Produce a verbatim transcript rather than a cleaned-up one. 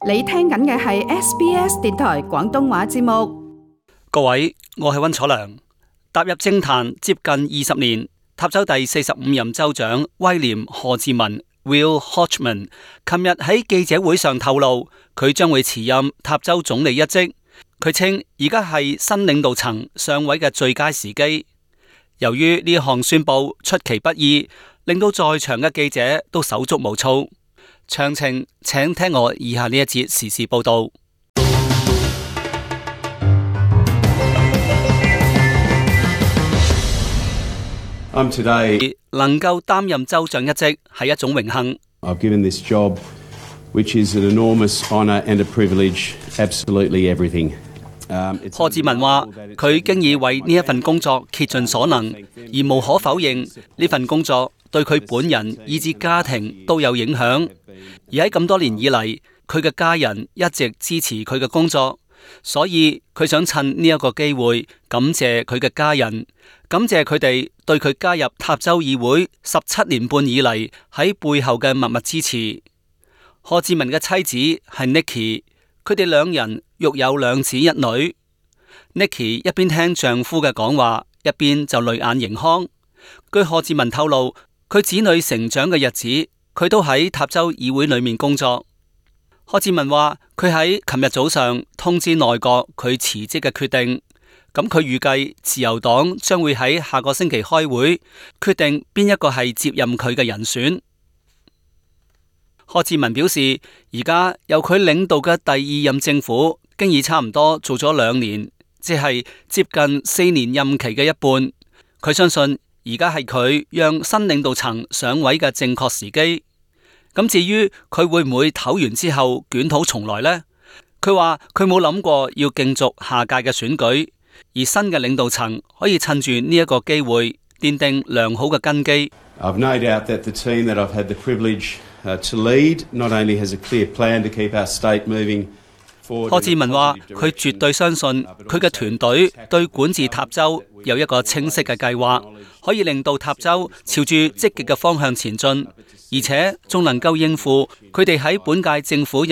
你聽緊嘅係 S B S 電台廣東話節目。各位，我係溫楚良。踏入政壇接近二十年，塔州第四十五任州長威廉賀治文 Will Hodgman 琴日喺記者會上透露，佢將會辭任塔州總理一職。佢稱而家係新領導層上位嘅最佳時機。由於呢項宣布出其不意，令到在場嘅記者都手足無措。詳情請聽我以下呢一節時事報道。I'm today 能夠擔任州長一職係一種榮幸。I've given this job, which is an enormous honour and a privilege, absolutely everything. 賀治文話：佢經已為呢一份工作竭盡所能，而無可否認呢份工作對佢本人以至家庭都有影響。而喺咁多年以嚟，佢嘅家人一直支持佢嘅工作，所以佢想趁呢一個機會感謝佢嘅家人，感謝佢哋對佢加入塔州議會十七年半以嚟喺背後嘅默默支持。賀治文嘅妻子係 Nikki， 佢哋兩人育有兩子一女。Nikki 一邊聽丈夫嘅講話，一邊就淚眼盈眶。據賀治文透露，佢子女成長嘅日子，佢都喺塔州議會裏面工作。賀治文話：佢喺琴日早上通知內閣佢辭職嘅決定。咁佢預計自由黨將會喺下個星期開會，決定邊一個係接任佢嘅人選。賀治文表示，而家由佢領導嘅第二任政府，經已差唔多做咗兩年，即係接近四年任期嘅一半。佢相信而家係佢讓新領導層上位嘅正確時機。咁至於佢會唔會唞完之後捲土重來呢？佢話佢冇諗過要競逐下屆嘅選舉，而新嘅領導層可以趁住呢一個機會奠定良好嘅根基。I've no doubt that the team that I've had the privilege to lead not only has a clear plan to keep our state moving forward. 賀治文話：佢絕對相信佢嘅團隊對管治塔州有一個清晰嘅計劃，可以令到塔州朝住積極嘅方向前進，而且仲能夠應付佢哋喺本屆政府任